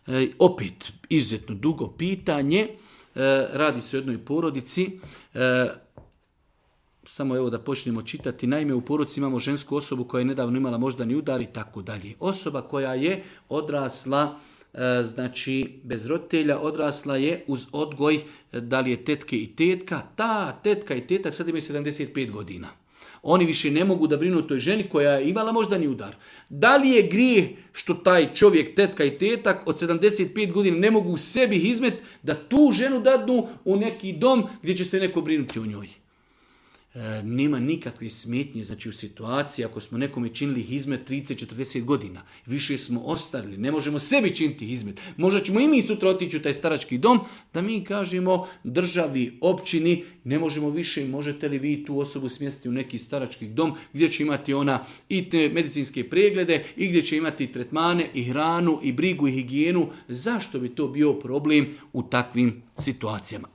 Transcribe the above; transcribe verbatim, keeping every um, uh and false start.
E, opet, izuzetno dugo pitanje. E, radi se o jednoj porodici. E, samo evo da počnemo čitati. Naime, u porodici imamo žensku osobu koja je nedavno imala moždani udar i tako dalje. Osoba koja je odrasla, e, znači bez roditelja, odrasla je uz odgoj, da li je tetke i tetka. Ta tetka i tetak sad imaju sedamdeset pet godina. Oni više ne mogu da brinu o toj ženi koja je imala moždani udar. Da li je grijeh što taj čovjek, tetka i tetak od sedamdeset pet godina ne mogu sebi izmet da tu ženu dadnu u neki dom gdje će se neko brinuti o njoj? E, nema nikakve smetnje, znači u situaciji ako smo nekome činili hizmet trideset četrdeset godina, više smo ostarili, ne možemo sebi činiti hizmet, možda ćemo i mi sutra otići u taj starački dom, da mi kažemo državi, općini, ne možemo više, možete li vi tu osobu smjestiti u neki starački dom gdje će imati ona i te medicinske preglede i gdje će imati tretmane i hranu i brigu i higijenu. Zašto bi to bio problem u takvim situacijama?